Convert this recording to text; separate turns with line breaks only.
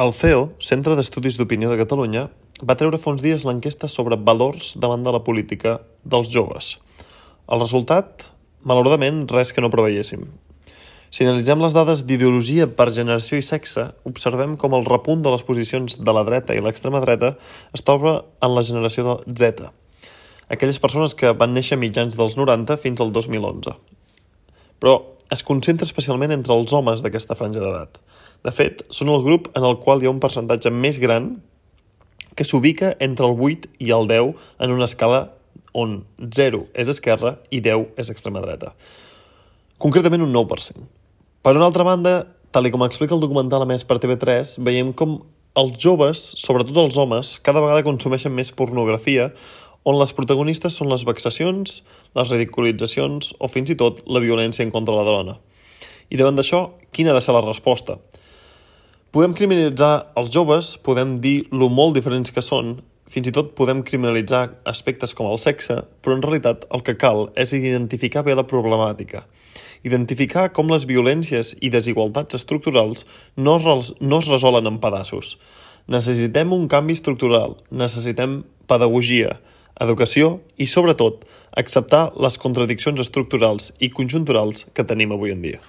El CEO, Centre d'Estudis d'Opinió de Catalunya, va treure fa uns dies l'enquesta sobre valors davant de la política dels joves. El resultat, malauradament, res que no preveiéssim. Si analitzem les dades d'ideologia per generació i sexe, observem com el repunt de les posicions de la dreta i l'extrema dreta es troba en la generació de Z, aquelles persones que van néixer mitjans dels 90 fins al 2011. Però es concentra especialment entre els homes d'aquesta franja d'edat. De fet, són el grup en el qual hi ha un percentatge més gran que s'ubica entre el 8 i el 10 en una escala on 0 és esquerra i 10 és extrema dreta. Concretament un 9%. Per una altra banda, tal com explica el documental emès per TV3, veiem com els joves, sobretot els homes, cada vegada consumeixen més pornografia on les protagonistes són les vexacions, les ridiculitzacions o fins i tot la violència en contra de la dona. I davant d'això, quina ha de ser la resposta? Podem criminalitzar els joves, podem dir lo molt diferents que són, fins i tot podem criminalitzar aspectes com el sexe, però en realitat el que cal és identificar bé la problemàtica. Identificar com les violències i desigualtats estructurals no es resolen en pedaços. Necessitem un canvi estructural, necessitem pedagogia, educació i, sobretot, acceptar les contradiccions estructurals i conjunturals que tenim avui en dia.